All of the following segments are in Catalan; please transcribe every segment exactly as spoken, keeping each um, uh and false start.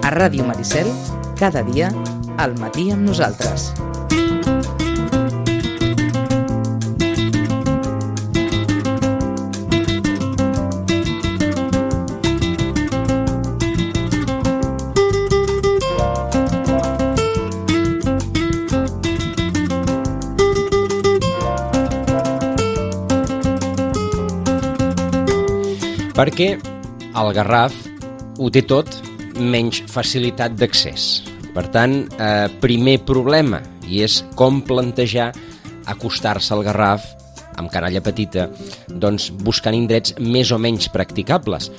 A Ràdio Maricel, cada dia, al matí amb nosaltres. Perquè el Garraf ho té tot menys facilitat d'accés. Per tant, eh, primer problema, i és com plantejar acostar-se al Garraf amb canalla petita, doncs buscant indrets més o menys practicables,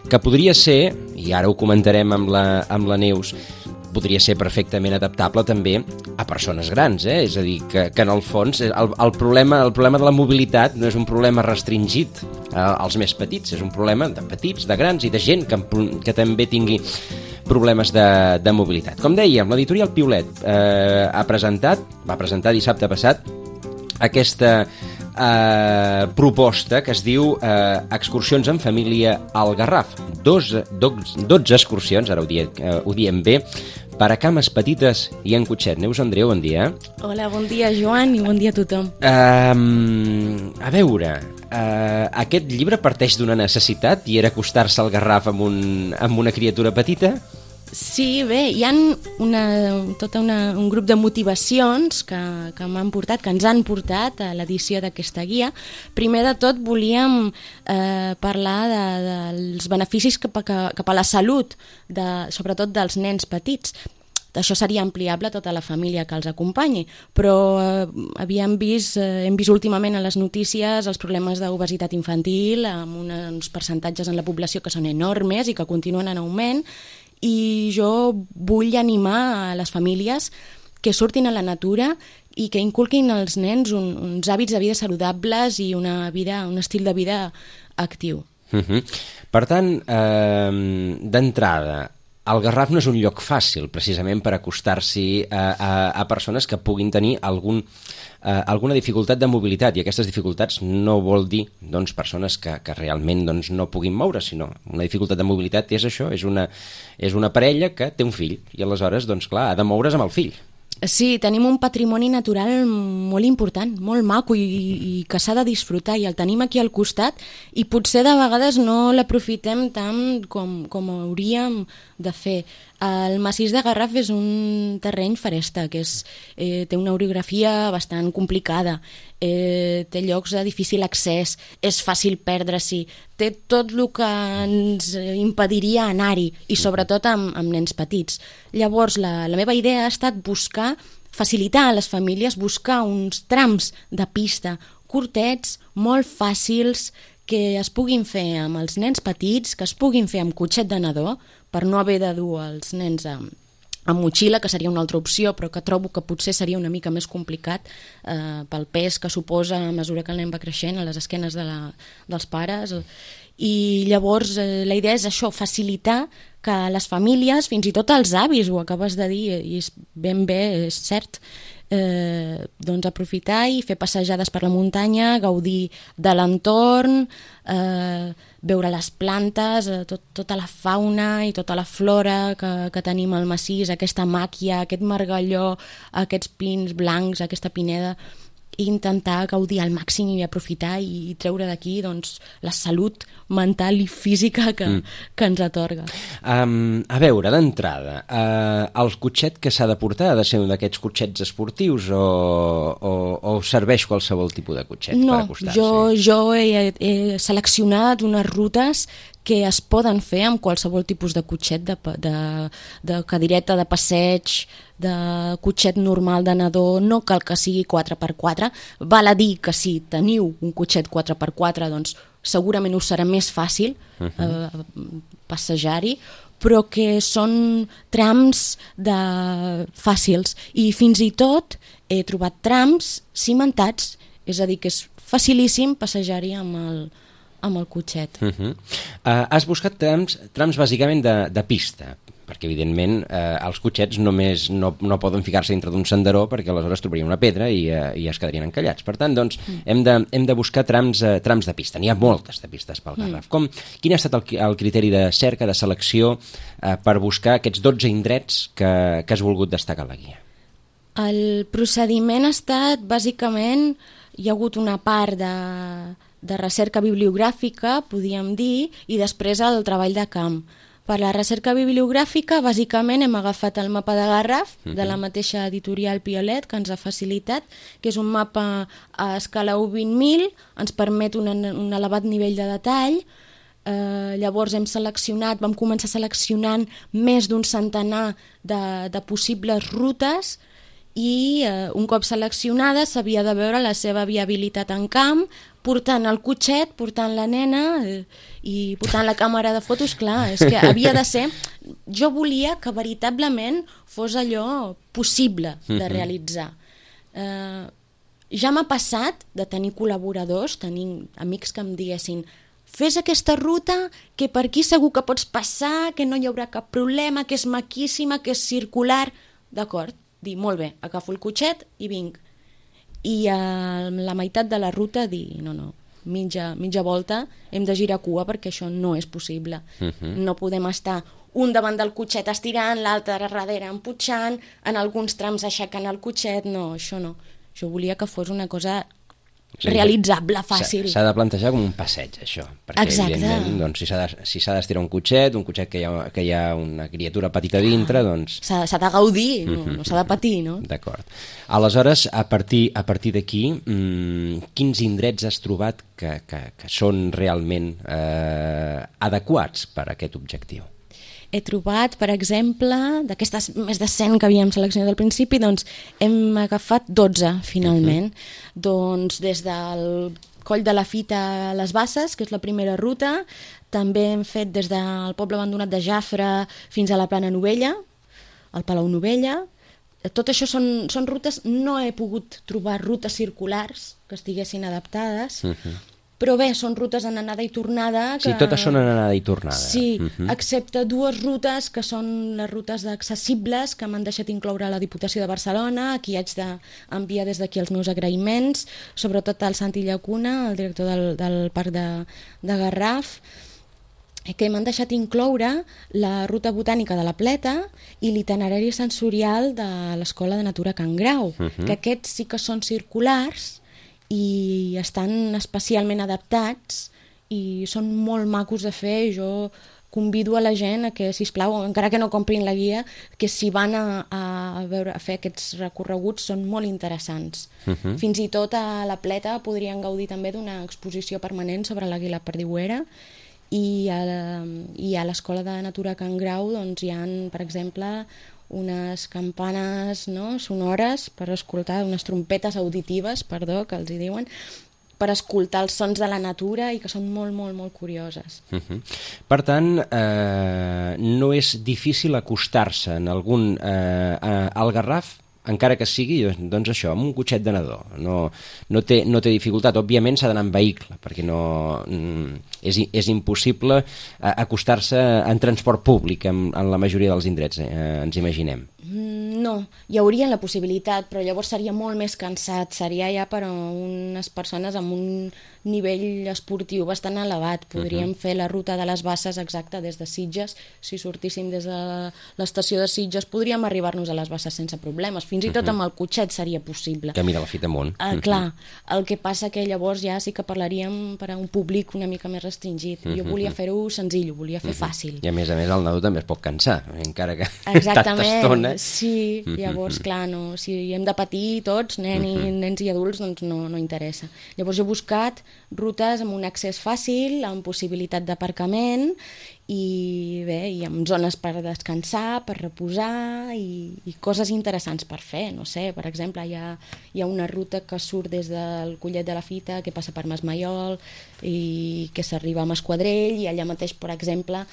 que podria ser, i ara ho comentarem amb la, amb la Neus, podria ser perfectament adaptable també a persones grans, eh? És a dir, que, que en el fons el, el, problema, el problema de la mobilitat no és un problema restringit eh, als més petits, és un problema de petits, de grans i de gent que, que també tingui problemes de, de mobilitat. Com dèiem, l'editorial Piulet eh, ha presentat, va presentar dissabte passat aquesta eh, proposta que es diu eh, Excursions en família al Garraf. Dos, dos, dotze excursions, ara ho, die, eh, ho diem bé, per a cames petites i en cotxet. Neus Andreu, bon dia. Hola, bon dia, Joan, i bon dia a tothom. Um, a veure, uh, aquest llibre parteix d'una necessitat i era acostar-se al Garraf amb, un, amb una criatura petita? Sí, bé, hi ha una, tota una, un grup de motivacions que, que m'han portat, que ens han portat a l'edició d'aquesta guia. Primer de tot volíem eh, parlar de, dels beneficis cap a, cap a la salut, de, sobretot dels nens petits. Això seria ampliable a tota la família que els acompanyi, però eh, havíem vist, eh, hem vist últimament a les notícies els problemes d'obesitat infantil, amb uns percentatges en la població que són enormes i que continuen en augment, i jo vull animar a les famílies que surtin a la natura i que inculquin als nens un, uns hàbits de vida saludables i una vida, un estil de vida actiu. Uh-huh. Per tant, eh, d'entrada, el Garraf no és un lloc fàcil, precisament per acostar-s'hi a, a, a persones que puguin tenir algun, eh, alguna dificultat de mobilitat, i aquestes dificultats no vol dir doncs, persones que, que realment doncs, no puguin moure, sinó una dificultat de mobilitat és això, és una, és una parella que té un fill, i aleshores, doncs clar, ha de moure's amb el fill. Sí, tenim un patrimoni natural molt important, molt maco i, i que s'ha de disfrutar, i el tenim aquí al costat i potser de vegades no l'aprofitem tant com, com hauríem de fer. El massís de Garraf és un terreny feresta, que és, eh, té una orografia bastant complicada, eh, té llocs de difícil accés, és fàcil perdre-s'hi, té tot el que ens impediria anar-hi, i sobretot amb, amb nens petits. Llavors, la, la meva idea ha estat buscar, facilitar a les famílies, buscar uns trams de pista curtets, molt fàcils, que es puguin fer amb els nens petits, que es puguin fer amb cotxet de nadó, per no haver de dur els nens amb, amb motxilla, que seria una altra opció, però que trobo que potser seria una mica més complicat eh, pel pes que suposa a mesura que el nen va creixent a les esquenes de la, dels pares. I llavors eh, la idea és això, facilitar que les famílies, fins i tot els avis, ho acabes de dir, i és ben bé, és cert, eh, doncs aprofitar i fer passejades per la muntanya, gaudir de l'entorn, eh, veure les plantes, eh, tot, tota la fauna i tota la flora que, que tenim al massís, aquesta màquia, aquest margalló, aquests pins blancs, aquesta pineda, i intentar gaudir al màxim i aprofitar i treure d'aquí doncs, la salut mental i física que, mm. que ens atorga. Um, a veure, d'entrada, uh, el cotxet que s'ha de portar ha de ser un d'aquests cotxets esportius o, o, o serveix qualsevol tipus de cotxet no, per acostar-s'hi? No, jo, jo he, he seleccionat unes rutes que es poden fer amb qualsevol tipus de cotxet, de, de, de cadireta, de passeig, de cotxet normal de nadó, no cal que sigui quatre per quatre, val a dir que si teniu un cotxet quatre per quatre, doncs segurament us serà més fàcil uh-huh. eh, passejar-hi, però que són trams de... fàcils, i fins i tot he trobat trams cimentats, és a dir, que és facilíssim passejar-hi amb el amb el cotxet. Uh-huh. uh, has buscat trams, trams bàsicament de, de pista, per perquè evidentment eh, els cotxets només no, no poden ficar-se dintre d'un senderó perquè aleshores trobarien una pedra i, eh, i es quedarien encallats. Per tant, doncs, mm. hem, de, hem de buscar trams, eh, trams de pista. N'hi ha moltes de pistes pel Garraf. Mm. Com, quin ha estat el, el criteri de cerca, de selecció, eh, per buscar aquests dotze indrets que, que has volgut destacar a la guia? El procediment ha estat, bàsicament, hi ha hagut una part de, de recerca bibliogràfica, podríem dir, i després el treball de camp. Per la recerca bibliogràfica, bàsicament, hem agafat el mapa de Garraf, uh-huh. de la mateixa editorial Piolet, que ens ha facilitat, que és un mapa a escala u vint mil, ens permet un, un elevat nivell de detall. Eh, llavors hem seleccionat, vam començar seleccionant més d'un centenar de, de possibles rutes, i eh, un cop seleccionada s'havia de veure la seva viabilitat en camp, portant el cotxet, portant la nena eh, i portant la càmera de fotos. Clar, és que havia de ser... Jo volia que veritablement fos allò possible de realitzar. Eh, ja m'ha passat de tenir col·laboradors, tenir amics que em diguessin: fes aquesta ruta, que per aquí segur que pots passar, que no hi haurà cap problema, que és maquíssima, que és circular. D'acord, dir, molt bé, agafo el cotxet i vinc. I a la meitat de la ruta dir, no, no, mitja, mitja volta, hem de girar cua perquè això no és possible. Uh-huh. No podem estar un davant del cotxet estirant, l'altre darrere emputxant, en alguns trams aixecant el cotxet, no, això no. Jo volia que fos una cosa sí, realitzable, fàcil. S'ha de plantejar com un passeig, això, perquè exacte. Evidentment, doncs, si s'ha de, si s'ha d'estirar un cotxet, un cotxet que hi ha, que hi ha una criatura petita dintre, doncs... S'ha, s'ha de gaudir, no, no s'ha de patir, no? D'acord. Aleshores, a partir, a partir d'aquí, mmm, quins indrets has trobat que, que, que són realment eh, adequats per a aquest objectiu? He trobat, per exemple, d'aquestes més de cent que havíem seleccionat al principi, doncs hem agafat dotze, finalment. Uh-huh. Doncs des del Coll de la Fita a les Basses, que és la primera ruta, també hem fet des del poble abandonat de Jafre fins a la Plana Novella, al Palau Novella. Tot això són, són rutes, no he pogut trobar rutes circulars que estiguessin adaptades, uh-huh. però bé, són rutes en anada i tornada. Que... Sí, totes són en anada i tornada. Sí, uh-huh. excepte dues rutes que són les rutes accessibles que m'han deixat incloure la Diputació de Barcelona. Aquí haig d'enviar des d'aquí els meus agraïments, sobretot al Santi Llacuna, el director del, del Parc de, de Garraf, que m'han deixat incloure la ruta botànica de la Pleta i l'itinerari sensorial de l'Escola de Natura Can Grau, uh-huh. que aquests sí que són circulars i estan especialment adaptats i són molt macos de fer. Jo convido a la gent a que, sisplau, encara que no comprin la guia, que si van a, a, veure, a fer aquests recorreguts són molt interessants. Uh-huh. Fins i tot a la Pleta podrien gaudir també d'una exposició permanent sobre l'àguila perdiuera, i a, i a l'Escola de Natura Can Grau doncs, hi ha, per exemple, unes campanes, no, sonores per escoltar, unes trompetes auditives, perdó, que els hi diuen, per escoltar els sons de la natura i que són molt, molt, molt curioses. Uh-huh. Per tant, eh, no és difícil acostar-se en algun eh, al Garraf, encara que sigui, doncs això, amb un cotxet de nadó. No, no, té, no té dificultat. Òbviament s'ha d'anar en vehicle, perquè no, és, és impossible acostar-se en transport públic en, en la majoria dels indrets, eh, ens imaginem. No, hi hauria la possibilitat, però llavors seria molt més cansat, seria ja per a unes persones amb un nivell esportiu bastant elevat. Podríem uh-huh. fer la ruta de les Basses exacta des de Sitges. Si sortíssim des de l'estació de Sitges podríem arribar-nos a les Basses sense problemes, fins i tot uh-huh. amb el cotxet seria possible. Camí de la Fita amunt. Uh, clar, el que passa que llavors ja sí que parlaríem per a un públic una mica més restringit. Uh-huh. Jo volia fer-ho senzill, ho volia fer uh-huh. fàcil. I a més a més el nadó també es pot cansar, encara que exactament, tanta estona. Sí, llavors, clar, no, si hem de patir tots, nen i, uh-huh. nens i adults, doncs no, no interessa. Llavors jo he buscat rutes amb un accés fàcil, amb possibilitat d'aparcament i bé, i amb zones per descansar, per reposar i, i coses interessants per fer. No sé, per exemple, hi ha, hi ha una ruta que surt des del Collet de la Fita, que passa per Masmaiol i que s'arriba a Masquadrell, i allà mateix, per exemple,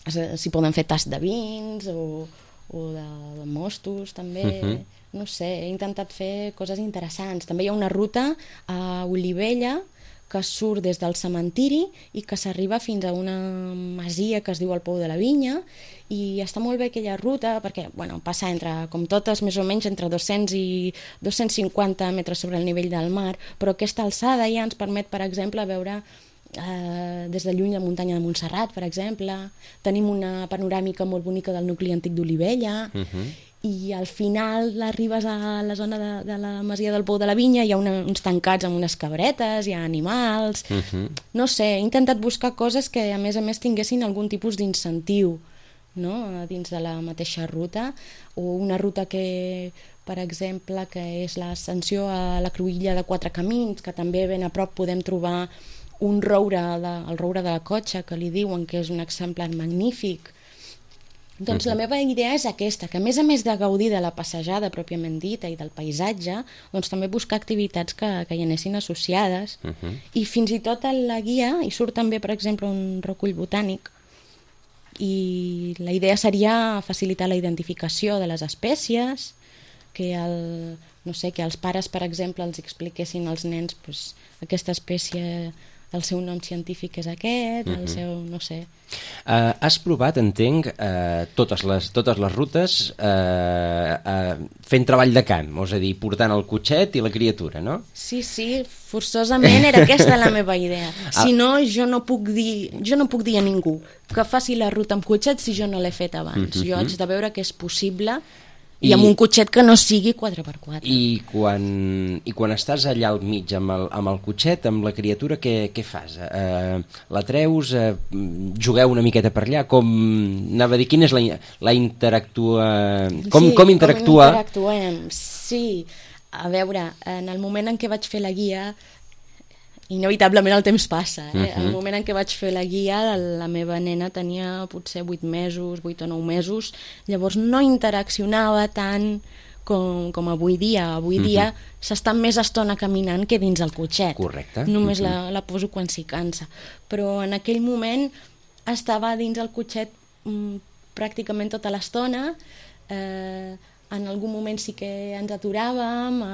s'hi poden fer tasts de vins o o de, de mostos també, uh-huh. no sé, he intentat fer coses interessants. També hi ha una ruta a Olivella que surt des del cementiri i que s'arriba fins a una masia que es diu el Pou de la Vinya, i està molt bé aquella ruta perquè bueno, passa entre, com totes, més o menys entre dos-cents i dos-cents cinquanta metres sobre el nivell del mar, però aquesta alçada ja ens permet, per exemple, veure eh, des de lluny la muntanya de Montserrat, per exemple. Tenim una panoràmica molt bonica del nucli antic d'Olivella, uh-huh. i al final arribes a la zona de, de la masia del Pou de la Vinya, hi ha una, uns tancats amb unes cabretes, hi ha animals, uh-huh. no sé, he intentat buscar coses que a més a més tinguessin algun tipus d'incentiu, no? Dins de la mateixa ruta, o una ruta que, per exemple, que és l'ascensió a la Cruïlla de Quatre Camins, que també ben a prop podem trobar un roure, de, el roure de la Cotxa, que li diuen que és un exemplar magnífic. Doncs uh-huh. la meva idea és aquesta, que a més a més de gaudir de la passejada pròpiament dita i del paisatge, doncs també buscar activitats que, que hi anessin associades, uh-huh. i fins i tot a la guia hi surt també, per exemple, un recull botànic, i la idea seria facilitar la identificació de les espècies, que, el, no sé, que els pares, per exemple, els expliquessin als nens pues, aquesta espècie, el seu nom científic és aquest, el uh-huh. seu, no sé. Uh, has provat, entenc, uh, totes, les, totes les rutes uh, uh, fent treball de camp, és a dir, portant el cotxet i la criatura, no? Sí, sí, forçosament era aquesta la meva idea. Si no, jo no puc dir, jo no puc dir a ningú que faci la ruta amb cotxet si jo no l'he fet abans. Uh-huh. Jo haig de veure que és possible i, I amb un cotxet que no sigui quatre per quatre. I quan, i quan estàs allà al mig amb el, amb el cotxet, amb la criatura, què, què fas? Uh, la treus? Uh, jugueu una miqueta per allà? Com, anava a dir, quina és la, la interactua... Com, sí, com interactua? Com interactuem, sí. A veure, en el moment en què vaig fer la guia, inevitablement el temps passa. Eh? Uh-huh. El moment en què vaig fer la guia, la meva nena tenia potser vuit mesos, vuit o nou mesos, llavors no interaccionava tant com, com avui dia. Avui uh-huh. dia s'està més estona caminant que dins el cotxet. Correcte. Només uh-huh. la, la poso quan s'hi cansa. Però en aquell moment estava dins el cotxet mm, pràcticament tota l'estona. Eh, en algun moment sí que ens aturàvem a,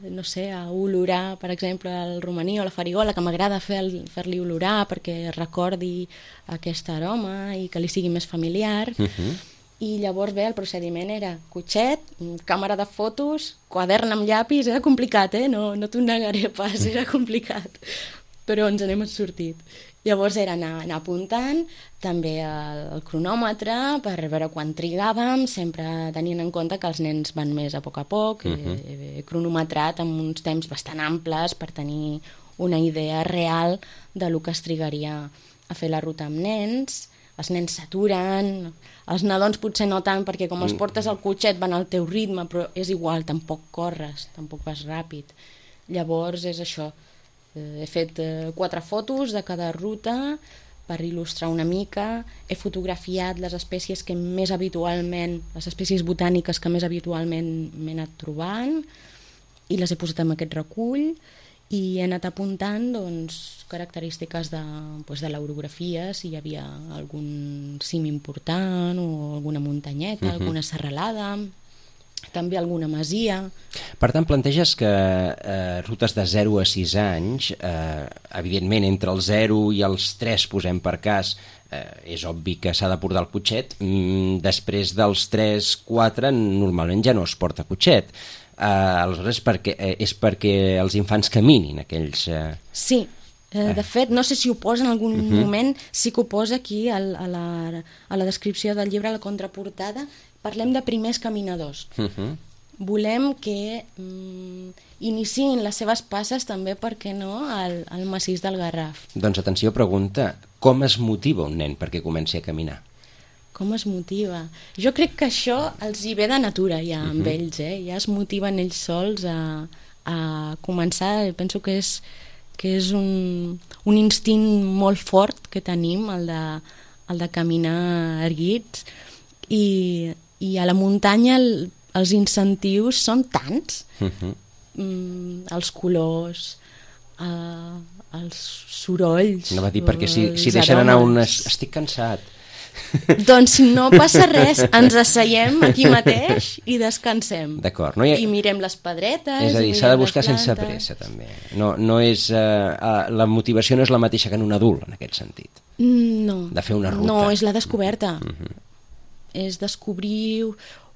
no sé, a olorar, per exemple, el romaní o la farigola, que m'agrada fer, fer-li olorar perquè recordi aquest aroma i que li sigui més familiar. Uh-huh. I llavors bé, el procediment era cotxet, càmera de fotos, quadern amb llapis, era complicat, eh? No, no t'ho negaré pas, era complicat, però ens n'hem sortit. Llavors era anar, anar apuntant, també el, el cronòmetre, per veure quan trigàvem, sempre tenint en compte que els nens van més a poc a poc, uh-huh. he, he cronometrat amb uns temps bastant amples per tenir una idea real de lo que es trigaria a fer la ruta amb nens. Els nens s'aturen, els nadons potser no tant, perquè com els portes al cotxet van al teu ritme, però és igual, tampoc corres, tampoc vas ràpid. Llavors és això. He fet quatre fotos de cada ruta per il·lustrar una mica, he fotografiat les espècies que més habitualment, les espècies botàniques que més habitualment m'he anat trobant i les he posat en aquest recull i he anat apuntant doncs, característiques de, doncs, de l'orografia, si hi havia algun cim important o alguna muntanyeta, uh-huh. alguna serralada, també alguna masia. Per tant, planteges que eh, rutes de zero a sis anys, eh, evidentment entre el zero i els tres, posem per cas, eh, és obvi que s'ha de portar el cotxet, mm, després dels tres quatre normalment ja no es porta cotxet. Eh, aleshores perquè, eh, és perquè els infants caminin, aquells... Eh... Sí, eh, de fet, no sé si ho posa en algun uh-huh. moment, sí que ho posa aquí a la, a la descripció del llibre, a la contraportada. Parlem de primers caminadors. Uh-huh. Volem que mm, iniciïn les seves passes també, per què no, al, al massís del Garraf. Doncs atenció, pregunta, com es motiva un nen perquè comenci a caminar? Com es motiva? Jo crec que això els hi ve de natura ja amb uh-huh. ells, eh? Ja es motiven ells sols a, a començar. Penso que és, que és un, un instint molt fort que tenim, el de, el de caminar erguits, i i a la muntanya el, els incentius són tants, uh-huh. mm, els colors, uh, els sorolls, no va dir, perquè si, si deixen anar un... estic cansat, Doncs no passa res, ens asseiem aquí mateix i descansem. D'acord. No hi ha... I mirem les pedretes... És a dir, s'ha de buscar sense pressa, també. No, no és, uh, la motivació no és la mateixa que en un adult, en aquest sentit. No. De fer una ruta. No, és la descoberta. Uh -huh. És descobrir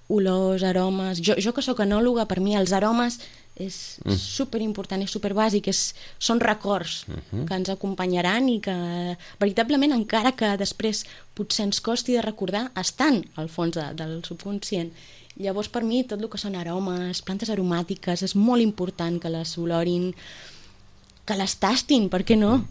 olors, aromes... Jo, jo que sóc enòloga, per mi els aromes és mm. superimportant, és superbàsic, és, són records uh-huh. que ens acompanyaran i que veritablement, encara que després potser ens costi de recordar, estan al fons de, del subconscient. Llavors, per mi, tot el que són aromes, plantes aromàtiques, és molt important que les olorin, que les tastin, per què no?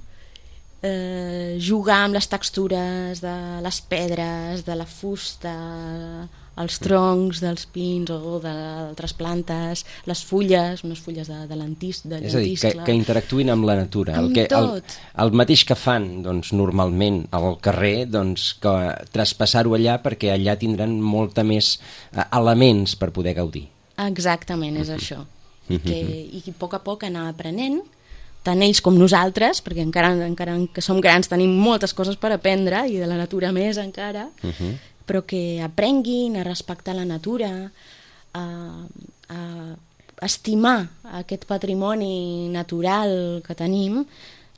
Eh, jugar amb les textures de les pedres, de la fusta, els troncs dels pins o d'altres plantes, les fulles, unes fulles de, de lentis, de és a dir, que, que interactuïn amb la natura. Amb el, que, tot. El, el mateix que fan doncs, normalment al carrer, doncs, que traspassar-ho allà perquè allà tindran molta més eh, elements per poder gaudir. Exactament, és uh-huh. això. I que, i que a poc a poc anar aprenent, tant ells com nosaltres, perquè encara, encara que som grans tenim moltes coses per aprendre i de la natura més encara, uh-huh. però que aprenguin a respectar la natura, a, a estimar aquest patrimoni natural que tenim,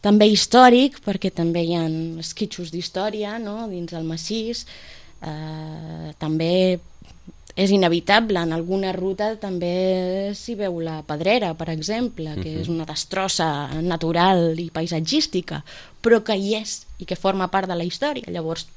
també històric, perquè també hi ha esquitxos d'història, no?, dins del massís, eh, també és inevitable, en alguna ruta també s'hi veu la Pedrera, per exemple, que uh-huh. és una destrossa natural i paisatgística, però que hi és i que forma part de la història. Llavors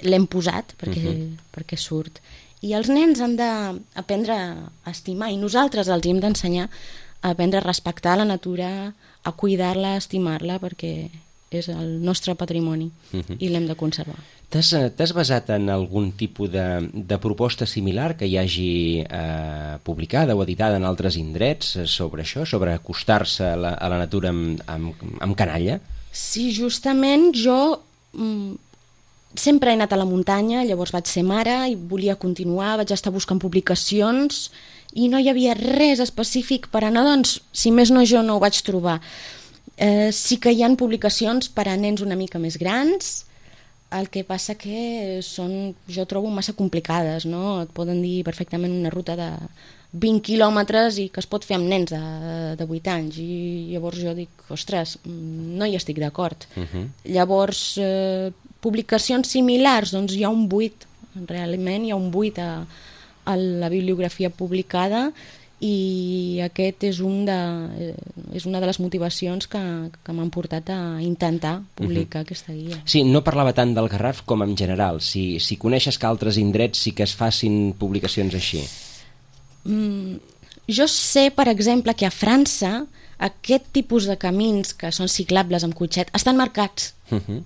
l'hem posat perquè, uh-huh. perquè surt. I els nens han d'aprendre a estimar, i nosaltres els hem d'ensenyar a aprendre a respectar la natura, a cuidar-la, a estimar-la, perquè és el nostre patrimoni uh-huh. i l'hem de conservar. T'has basat en algun tipus de, de proposta similar que hi hagi eh, publicada o editada en altres indrets sobre això, sobre acostar-se a la, a la natura amb, amb, amb canalla? Sí, justament jo mm, sempre he anat a la muntanya, llavors vaig ser mare i volia continuar, vaig estar buscant publicacions i no hi havia res específic per anar, doncs, si més no jo no ho vaig trobar. Eh, sí que hi ha publicacions per a nens una mica més grans, el que passa que són, jo trobo massa complicades, no? Et poden dir perfectament una ruta de vint quilòmetres i que es pot fer amb nens de, de vuit anys, i llavors jo dic, ostres, no hi estic d'acord. Uh-huh. Llavors, eh, publicacions similars, doncs hi ha un buit, realment hi ha un buit a, a la bibliografia publicada, i aquest és, un de, és una de les motivacions que, que m'han portat a intentar publicar uh-huh. aquesta guia. Sí, no parlava tant del Garraf com en general. Si, si coneixes que altres indrets sí que es facin publicacions així. Mm, jo sé, per exemple, que a França aquest tipus de camins que són ciclables amb cotxet estan marcats. Uh-huh.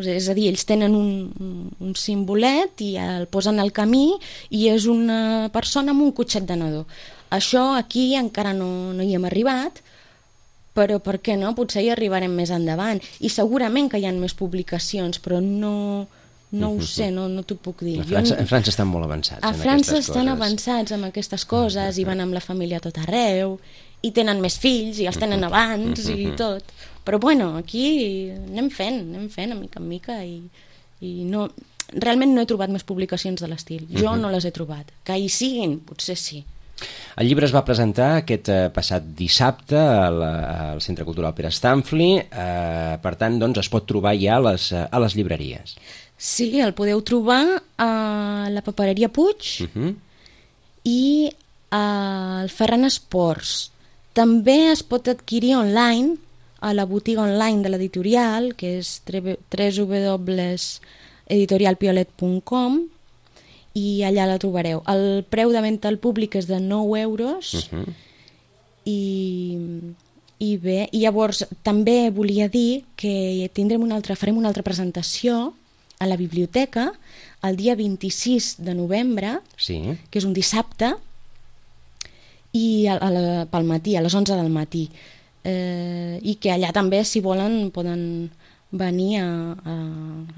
És a dir, ells tenen un, un simbolet i el posen al camí i és una persona amb un cotxet de nadó. Això aquí encara no, no hi hem arribat, però per què no? Potser hi arribarem més endavant. I segurament que hi ha més publicacions, però no, no ho sé, no, no t'ho puc dir. A França, a França estan molt avançats a en França aquestes estan coses. avançats amb aquestes coses i van amb la família a tot arreu i tenen més fills i els tenen abans i tot. Però bueno, aquí anem fent, anem fent, a mica en mica, i, i no, realment no he trobat més publicacions de l'estil. Jo no les he trobat. Que hi siguin, potser sí. El llibre es va presentar aquest eh, passat dissabte al, al Centre Cultural Pere Stanfli, eh, per tant, doncs, es pot trobar ja a les, a les llibreries. Sí, el podeu trobar a la papereria Puig uh-huh. i al Ferran Esports. També es pot adquirir online a la botiga online de l'editorial, que és w w w punt editorial piolet punt com, i allà la trobareu. El preu de venda al públic és de nou euros uh-huh. i, i bé, i llavors també volia dir que tindrem una altra, farem una altra presentació a la biblioteca el dia vint-i-sis de novembre, sí. que és un dissabte, i a, a la, pel matí, a les onze del matí, eh, i que allà també, si volen, poden venir a, a,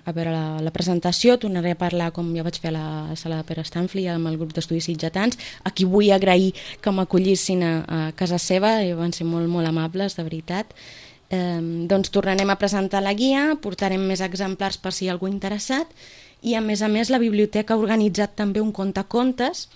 a veure la, la presentació. Tornaré a parlar, com ja vaig fer a la sala de Pere Stanfli amb el grup d'estudis sitgetans, a qui vull agrair que m'acollissin a, a casa seva, i van ser molt, molt amables, de veritat. Eh, doncs tornarem a presentar la guia, portarem més exemplars per si hi ha algú interessat, i a més a més la biblioteca ha organitzat també un contacontes.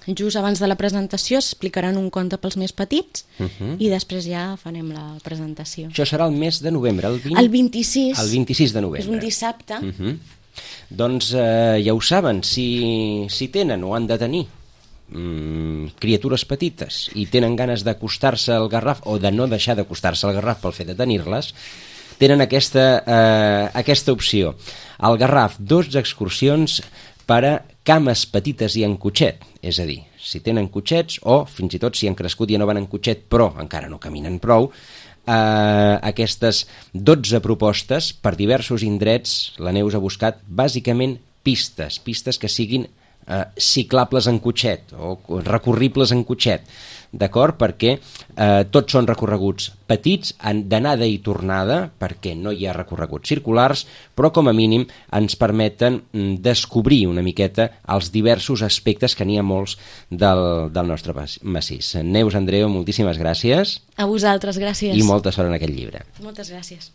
Just abans de la presentació explicaran un conte pels més petits uh-huh. i després ja farem la presentació. Això serà el mes de novembre, el vint... El vint-i-sis. El vint-i-sis de novembre. És un dissabte. Uh-huh. Doncs eh, ja ho saben, si, si tenen o han de tenir mm, criatures petites i tenen ganes d'acostar-se al Garraf o de no deixar d'acostar-se al Garraf pel fet de tenir-les, tenen aquesta, eh, aquesta opció. Al Garraf, dos excursions per a cames petites i en cotxet, és a dir, si tenen cotxets o fins i tot si han crescut i ja no van en cotxet però encara no caminen prou, eh, aquestes dotze propostes per diversos indrets. La Neus ha buscat bàsicament pistes, pistes que siguin eh, ciclables en cotxet o recorribles en cotxet, d'acord? Perquè eh, tots són recorreguts petits, d'anada i tornada, perquè no hi ha recorreguts circulars, però com a mínim ens permeten descobrir una miqueta els diversos aspectes, que n'hi ha molts, del, del nostre massís. Neus, Andreu, moltíssimes gràcies. A vosaltres, gràcies. I molta sort en aquest llibre. Moltes gràcies.